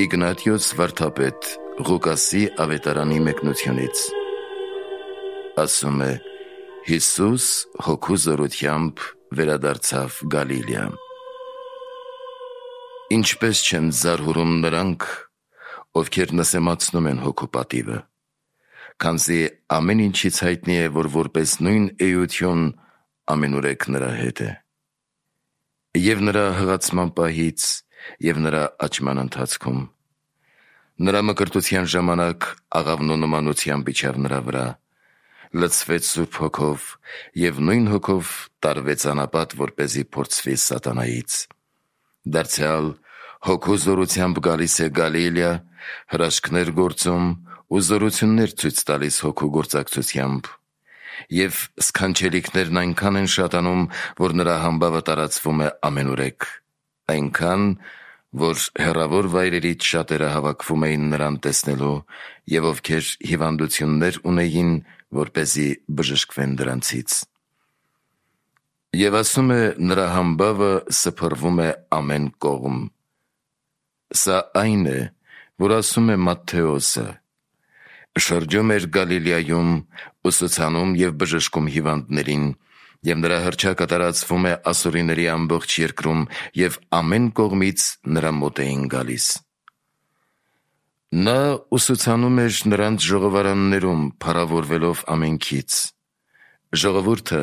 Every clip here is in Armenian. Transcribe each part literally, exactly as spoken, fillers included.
Իգնատիոս վարդապետ Ղուկասի ավետարանի մեկնությունից։ Ասում է. Հիսուս հոգու զորությամբ վերադարձավ Գալիլեա։ Ինչպես չեն զարհուրում նրանք, ովքեր նսեմացնում են հոգու պատիվը, քանզի ամեն ինչից հայտնի է, որ որպես նույն էություն ամենուրեք նրա հետ է։ Եվ նրա հղացման պահից, և նրա աճման ընթացքում նրա մկրտության ժամանակ աղավնու նմանությամբ իջավ նրա վրա, լցվեց Սուրբ Հոգով և նույն հոգով տարվեց անապատ, որպեսզի փորձվի սատանայից։ Դարձյալ հոգու զորությամբ գալիս է Գալիլեա, հրաշքներ գործում ու զորություններ ցույց տալիս հոգու գործակցությամբ, և սքանչելիքներն այնքան են շատանում, որ նրա համբավը տարածվում է ամենուրեք, այնքան, որ հեռավոր վայրերից շատերը հավաքվում էին նրան տեսնելու, և ովքեր հիվանդություններ ունեին, որպեսզի բժշկվեն դրանցից։ Եվ ասում է, նրա համբավը սփռվում է ամեն կողմ։ Սա այն է, որ ասում է Մատթեոսը. շրջում էր Գալիլեայում, ուսուցանում և բժշկում հիվանդներին, և նրա հռչակը տարածվում է ասորիների ամբողջ երկրում, և ամեն կողմից նրա մոտ էին գալիս։ Նա ուսուցանում էր նրանց ժողովարաններում, փառավորվելով ամենքից։ Ժողովուրդը,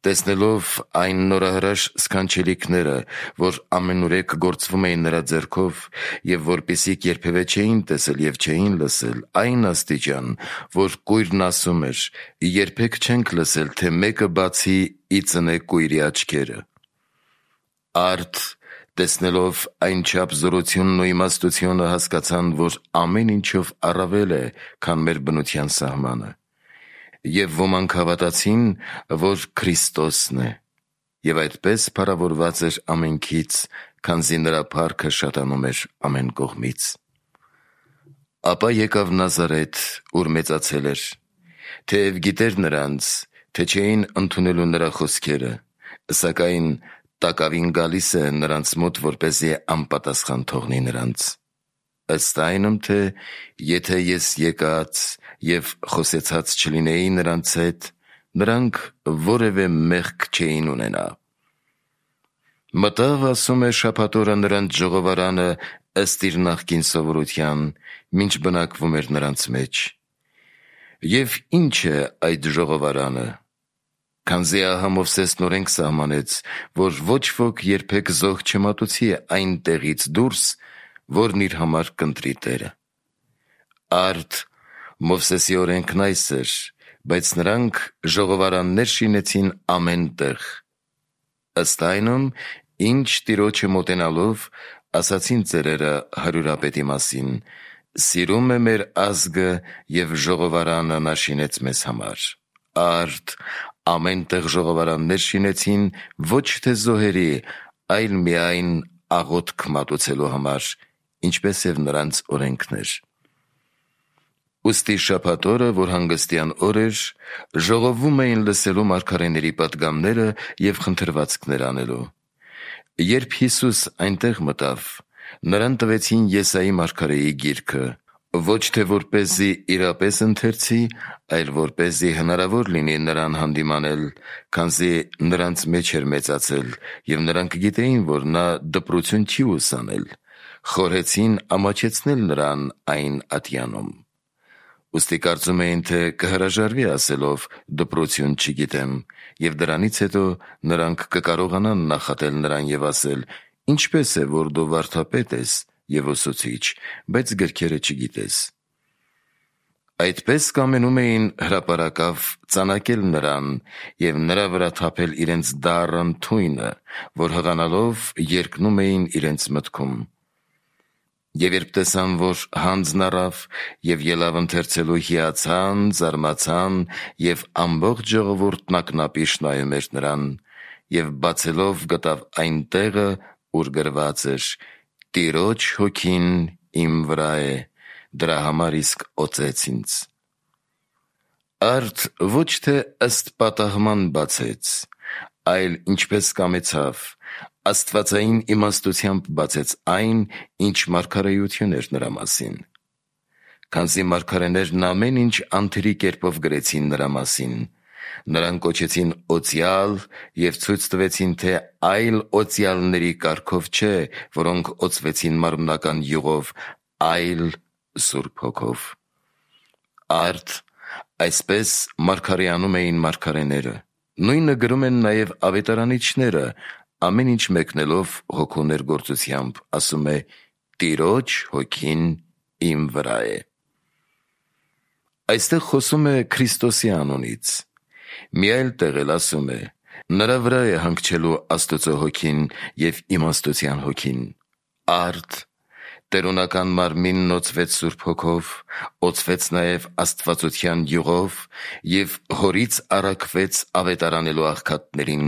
տեսնելով այն նորահրաշ սքանչելիքները, որ ամենուրեք գործվում էին նրա ձեռքով, և որպիսիք երբևէ չէին տեսել և չէին լսել, այն աստիճան, որ կույրն ասում էր. երբեք չենք լսել, թե մեկը բացի ի ծնե կույրի աչքերը։ Արդ, տեսնելով այնչափ զորությունն ու իմաստությունը, հասկացան, որ ամեն ինչով առավել է, քան մեր բնության սահմանը, և ոմանք հավատացին, որ Քրիստոսն է, և այդպես փառավորված էր ամենքից, քանզի նրա փառքը շատանում էր ամեն կողմից։ Ապա եկավ Նազարեթ, ուր մեծացել էր, թեև գիտեր նրանց, թե չէին ընդունելու նրա խոսքերը, սակայն տակավին գալիս է նրանց մոտ, որպեսզի անպատասխան թողնի նրանց, ըստ այնմ, թե եթե ես եկած և խոսեցած չլինեի նրանց հետ, նրանք որևէ մեղք չէին ունենա։ Մտավ, ասում է, շաբաթ օրը նրանց ժողովարանը ըստ իր նախկին սովորության, մինչ բնակվում էր նրանց մեջ։ Եվ ի՞նչ է այդ ժողովարանը, քանզի ահա Մովսեսն օրենք սահմանեց, որ ոչ ոք երբեք զոհ չմատուցի այն տեղից դուրս, որն իր համար կընտրի Տերը։ Արդ, Մովսեսի օրենքն այս էր, բայց նրանք ժողովարաններ շինեցին ամեն տեղ։ Ըստ այնմ, ինչ Տիրոջը մոտենալով, ասացին ծերերը հարյուրապետի մասին. «Սիրում է մեր ազգը, և ժողովարանը նա շինեց մեզ համար»։ Արդ, ամեն տեղ ժողովարաններ շինեցին ոչ թե զոհերի, այլ միայն աղոթք մատուցելու համար, ինչպես և նրանց օրենքն էր։ Ուստի շաբաթ օրը, որ հանգստյան օր էր, ժողովում էին լսելու մարգարեների պատգամները և խնդրվածքներ անելու։ Երբ Հիսուս այնտեղ մտավ, նրան տվեցին Եսայի մարգարեի գիրքը, ոչ թե որպեսզի իրապես ընթերցի, այլ որպեսզի հնարավոր լինի նրան հանդիմանել, քանզի նրանց մեջ էր մեծացել, և նրանք գիտեին, որ նա դպրություն չի ուսանել, խորհեցին ամաչեցնել նրան այն ատյանում։ Ուստի կարծում էին, թե կհրաժարվի ասելով. «Դպրություն չգիտեմ», և դրանից հետո նրանք կկարողանան նախատել նրան և ասել. «Ինչպես է, որ դու վարդապետ ես և ուսուցիչ, բայց գրքերը չգիտես»։ Այդպես կամենում էին հրապարակավ ծանակել նրան և նրա վրա թափել իրենց դառն թույնը, որ հղանալով երկնում էին իրենց մտքում։ Եվ երբ տեսան, որ հանձն առավ և ելավ ընթերցելու, հիացան, զարմացան, և ամբողջ ժողովուրդն ակնապիշ նայում էր նրան, և բացելով գտավ այն տեղը, ուր գրված էր. «Տիրոջ հոգին իմ վրա է, դրա համար իսկ օծեց ինձ»։ Արդ ոչ թե ըստ պատահման բացեց, այլ ինչպես կամեցավ, աստվածային իմաստությամբ բացեց այն, ինչ մարգարեություն էր նրա մասին։ Քանզի մարգարեներն ամեն ինչ անթերի կերպով գրեցին նրա մասին, նրան կոչեցին օծյալ և ցույց տվեցին, թե այլ օծյալների կարգով չէ, որոնք օծվեցին մարմնական յուղով, այլ Սուրբ Հոգով։ Արդ այսպես մարգարեանում էին մարգարեները, նույնը գրում են նաև ավետարանիչները, ամեն ինչ մեկնելով հոգու ներգործությամբ, ասում է. «Տիրոջ հոգին իմ վրա է»։ Այստեղ խոսում է Քրիստոսի անունից։ Մի այլ տեղ էլ ասում է. «Նրա վրա է հանգչելու Աստծո հոգին և իմաստության հոգին»։ Արդ տերունական մարմինն օծվեց Սուրբ Հոգով, օծվեց նաև աստվածության յուղով և հորից առաքվեց ավետարանելու աղքատներին,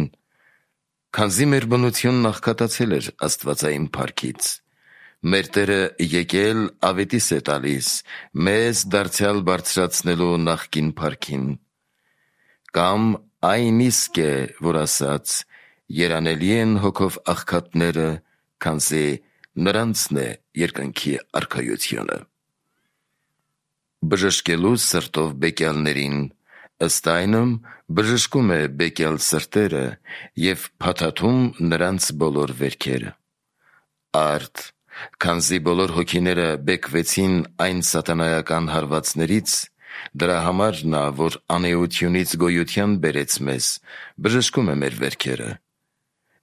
քանզի մեր բնությունն աղքատացել էր աստվածային փառքից։ Մեր Տերը եկել ավետիս է տալիս, մեզ դարձյալ բարձրացնելու նախկին փառքին։ Կամ այն իսկ է, որ ասաց. «Երանելի են հոգով աղքատները, քանզի նրանցն է երկնքի արքայությունը»։ Բժշկելու սրտով բեկյալներին, ըստ այնմ բժշկում է բեկյալ սրտերը և փաթաթում նրանց բոլոր վերքերը։ Արդ քանզի բոլոր հոգիները բեկվեցին այն սատանայական հարվածներից, դրա համար նա, որ անէությունից գոյության բերեց մեզ, բժշկում է մեր վերքերը։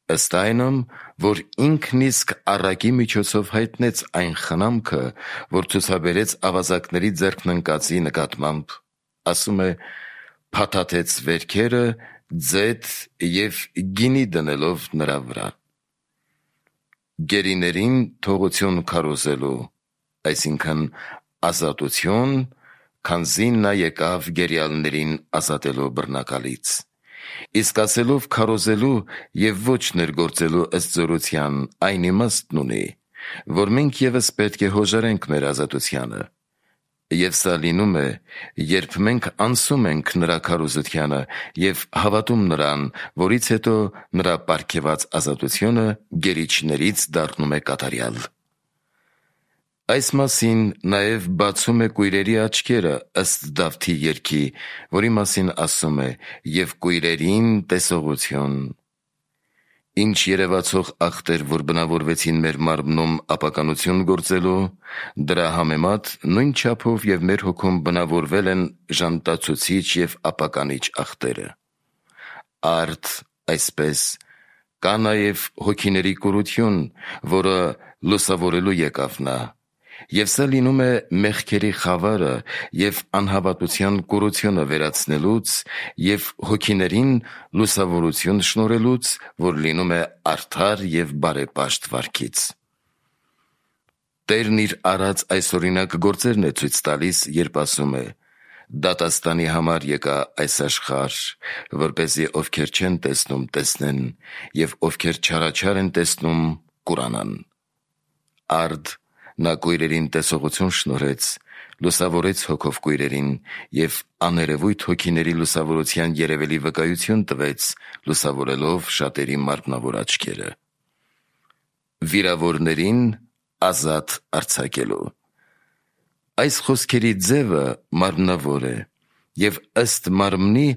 Ըստ այնմ, որ ինքն իսկ առակի միջոցով հայտնեց այն խնամքը, որ ցուցաբերեց ավազակների ձեռքն ընկածի նկատմամբ, ասում է. «Փաթաթեց վերքերը ձեթ և գինի դնելով նրա վրա»։ Գերիներին թողություն քարոզելու, այսինքն ազատություն, քանզի նա եկավ գերիալներին ազատելու բռնակալից։ Իսկ ասելով քարոզելու և ոչ ներգործելու ըստ զորության, այն իմաստն ունի, որ մենք ևս պետք է հոժարենք մեր ազատությանը։ Եվ սա լինում է, երբ մենք անսում ենք նրա քարոզությանը և հավատում նրան, որից հետո նրա պարգևած ազատությունը գերիչներից դառնում է կատարյալ։ Այս մասին նաև բացում է կույրերի աչքերը, ըստ Դավթի երգի, որի մասին ասում է. «Եվ կույրերին տեսողություն»։ Ինչ երևացող ախտեր, որ բնավորվեցին մեր մարմնում ապականություն գործելու, դրա համեմատ նույն չափով և մեր հոգում բնավորվել են ժանտացուցիչ և ապականիչ ախտերը։ Արդ այսպես կա նաև հոգիների կուրություն, որը լուսավորելու եկավ նա, և սա լինում է մեղքերի խավարը և անհավատության կուրությունը վերացնելուց և հոգիներին լուսավորություն շնորհելուց, որ լինում է արդար և բարեպաշտ վարքից։ Տերն իր արած այսօրինակ գործերն է ցույց տալիս, երբ ասում է. «Դատաստանի համար եկա այս աշխարհ, որպեսզի ովքեր չեն տեսնում, տեսնեն, և ովքեր չարաչար են տեսնում, կուրանան»։ Արդ նա կույրերին տեսողություն շնորհեց, լուսավորեց հոգով կույրերին և աներևույթ հոգիների լուսավորության երևելի վկայություն տվեց, լուսավորելով շատերի մարմնավոր աչքերը։ Վիրավորներին ազատ արձակելու։ Այս խոսքերի ձևը մարմնավոր է և ըստ մարմնի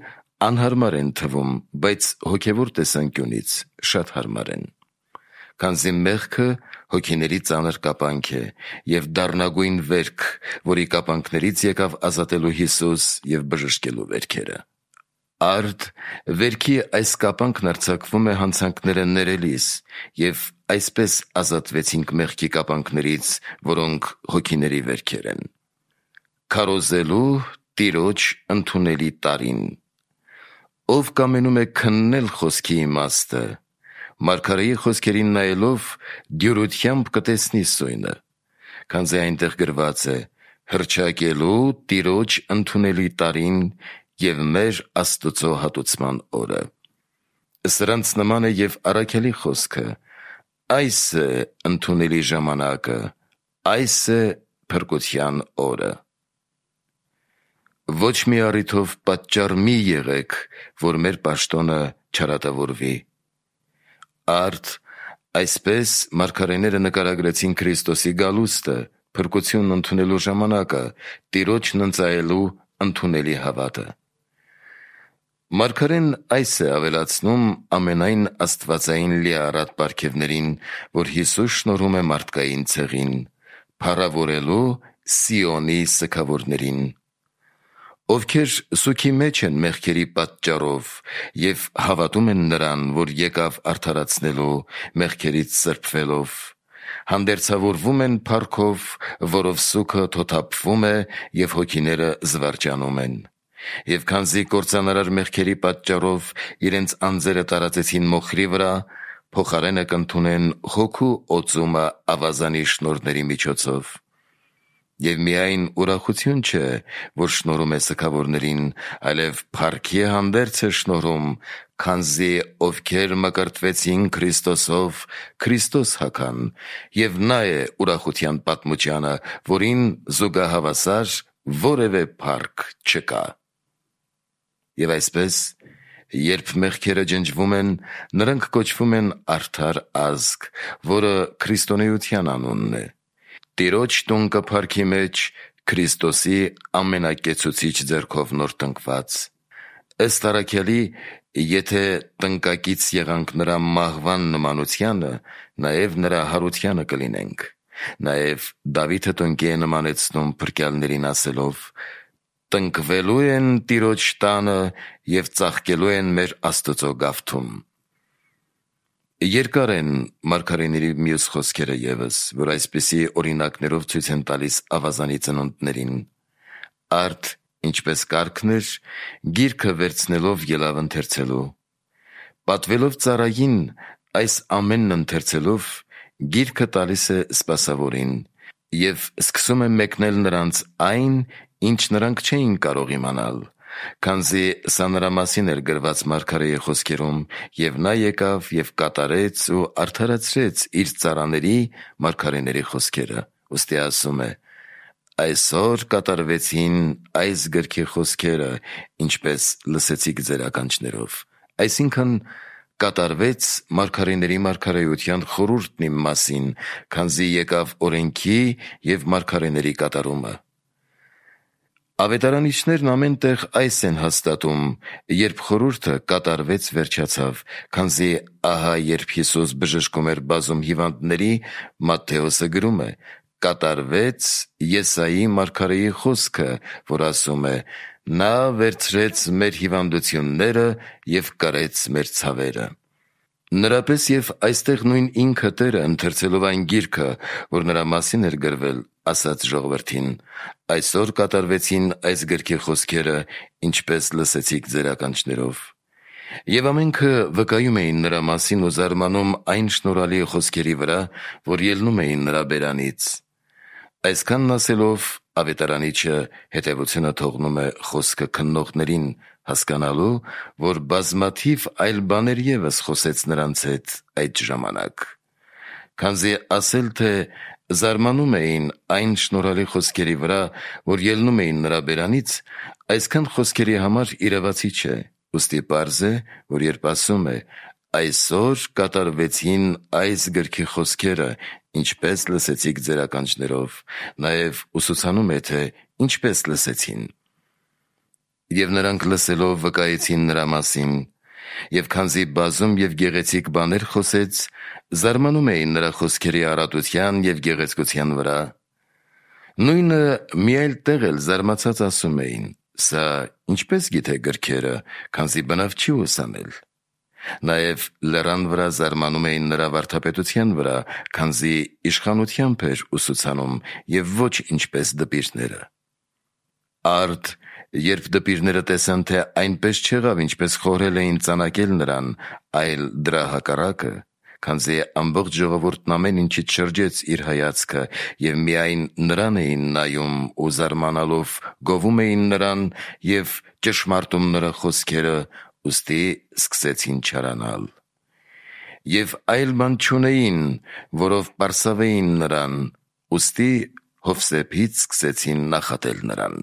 անհարմար են թվում, բայց հոգևոր տեսանկյունից շատ հարմար են։ Քանզի մեղքը հոգիների ծանր կապանք է և դառնագույն վերք, որի կապանքներից եկավ ազատելու Հիսուս և բժշկելու վերքերը։ Արդ վերքի այս կապանքն արձակվում է հանցանքները ներելիս, և այսպես ազատվեցինք մեղքի կապանքներից, որոնք հոգիների վերքեր են։ Քարոզելու Տիրոջ ընդունելի տարին։ Ով կամենում է քննել խոսքի իմաստը, մարգարեի խոսքերին նայելով դյուրությամբ կտեսնի սույնը, քանզի այնտեղ գրված է. «Հռչակելու Տիրոջ ընդունելի տարին և մեր Աստծո հատուցման օրը»։ Սրանց նման է և առաքյալի խոսքը. «Այս է ընդունելի ժամանակը, այս է փրկության օրը»։ Ոչ մի առիթով պատճառ մի եղեք, որ մեր պաշտոնը չարատավորվի։ Արդ Այսպես մարգարեները նկարագրեցին Քրիստոսի գալուստը, փրկությունն ընդունելու ժամանակը, Տիրոջն ընծայելու ընդունելի հավատը։ Մարգարեն այս է ավելացնում ամենայն աստվածային լիարատ պարգևներին, որ Հիսուս շնորհում է մարդկային ցեղին, փառավորելու Սիոնի սգավորներին, ովքեր սուգի մեջ են մեղքերի պատճառով և հավատում են նրան, որ եկավ արդարացնելու մեղքերից սրբվելով, հանդերձավորվում են փառքով, որով սուգը թոթափվում է և հոգիները զվարճանում են։ Եվ քանզի կործանարար մեղքերի պատճառով իրենց անձերը տարածեցին մոխրի վրա, փոխարենը կընդունեն հոգու օծումը ավազանի շնորհների միջոցով։ Եվ միայն ուրախություն չէ, որ շնորհում է սգավորներին, այլև փառքի հանդերձ է շնորհում, քանզի ովքեր մկրտվեցին Քրիստոսով, Քրիստոս հագան, և նա է ուրախության պատմությանը, որին զուգահավասար որևէ փառք չկա։ Եվ այսպես, երբ մեղքերը ջնջվում են, նրանք կոչվում են արդար ազգ, որը քրիստոնեության անունն է։ Տիրոջ տուն կը փառքի մեջ Քրիստոսի ամենակեցուցիչ ձեռքով նոր տնկված։ Ըստ առաքյալի, եթե տնկակից եղանք նրա մահվան նմանությանը, նաև նրա հարությանը կլինենք։ Նաև Դավիթը տնկի է նմանեցնում փրկյալներին ասելով. «Տնկվելու են Տիրոջ տանը և ծաղկելու են մեր Աստծո գավթում»։ Երկար են մարգարեների մյուս խոսքերը ևս, որ այսպիսի օրինակներով ցույց են տալիս ավազանի ծնունդներին։ Արդ ինչպես կարգն էր, գիրքը վերցնելով ելավ ընթերցելու։ Պատվելով ծառային այս ամենն ընթերցելով, գիրքը տալիս է սպասավորին և սկսում է մեկնել նրանց այն, ինչ նրանք չէին կարող իմանալ, քանզի սա նրա մասին էր գրված մարգարեի խոսքերում, և նա եկավ և կատարեց ու արդարացրեց իր ծառաների մարգարեների խոսքերը։ Ուստի ասում է. «Այսօր կատարվեցին այս գրքի խոսքերը, ինչպես լսեցիք ձեր ականջներով»։ Այսինքն կատարվեց մարգարեների մարգարեության խորհուրդն իմ մասին, քանզի եկավ օրենքի և մարգարեների կատարումը։ Ավետարանիչներն ամեն տեղ այս են հաստատում, երբ խորհուրդը կատարվեց վերջացավ, քանզի ահա երբ Հիսուս բժշկում էր բազում հիվանդների, Մատթեոսը գրում է. «Կատարվեց Եսայի մարգարեի խոսքը, որ ասում է. նա վերցրեց մեր հիվանդությունները և կրեց մեր ցավերը»։ Նրապես և այստեղ նույն ինքը Տերը, ընթերցելով այն գիրքը, որ նրա մասին էր գրվել, ասաց ժողովրդին. «Այսօր կատարվեցին այս գրքի խոսքերը, ինչպես լսեցիք ձեր ականջներով»։ Եվ ամենքը վկայում էին նրա մասին ու զարմանում այն շնորհալի խոսքերի վրա, որ ելնում էին նրա բերանից։ Այսքանն ասելով, ավետարանիչը հետևությունը թողնում է խոսքը քննողներին, հասկանալու, որ բազմաթիվ այլ բաներ ևս խոսեց նրանց հետ այդ ժամանակ։ Քանզի ասել, թե զարմանում էին այն շնորհալի խոսքերի վրա, որ ելնում էին նրա բերանից, այսքան խոսքերի համար իրավացի չէ։ Ուստի պարզ է, որ երբ ասում է. «Այսօր կատարվեցին այս գրքի խոսքերը, ինչպես լսեցիք ձեր ականջներով», նաև ուսուցանում է, թե ինչպես լսեցին։ Եվ նրանք լսելով վկայեցին նրա մասին, և քանզի բազում և գեղեցիկ բաներ խոսեց, զարմանում էին նրա խոսքերի առատության և գեղեցկության վրա։ Նույնը մի այլ տեղ էլ զարմացած ասում էին. «Սա ինչպես գիտե գրքերը, քանզի բնավ չի ուսանել»։ Նաև լեռան վրա զարմանում էին նրա վարդապետության վրա, քանզի իշխանությամբ էր ուսուցանում և ոչ ինչպես դպիրները։ Արդ երբ դպիրները տեսան, թե այնպես չեղավ, ինչպես խորհել էին ծանակել նրան, այլ դրա հակառակը, քանզի ամբողջ ժողովուրդն ամեն ինչից շրջեց իր հայացքը և միայն նրան էին նայում ու զարմանալով գովում էին նրան և ճշմարտում նրա խոսքերը, ուստի սկսեցին չարանալ։ Եվ այլ բան չունեին, որով պարսավեին նրան, ուստի Հովսեփից սկսեցին նախատել նրան։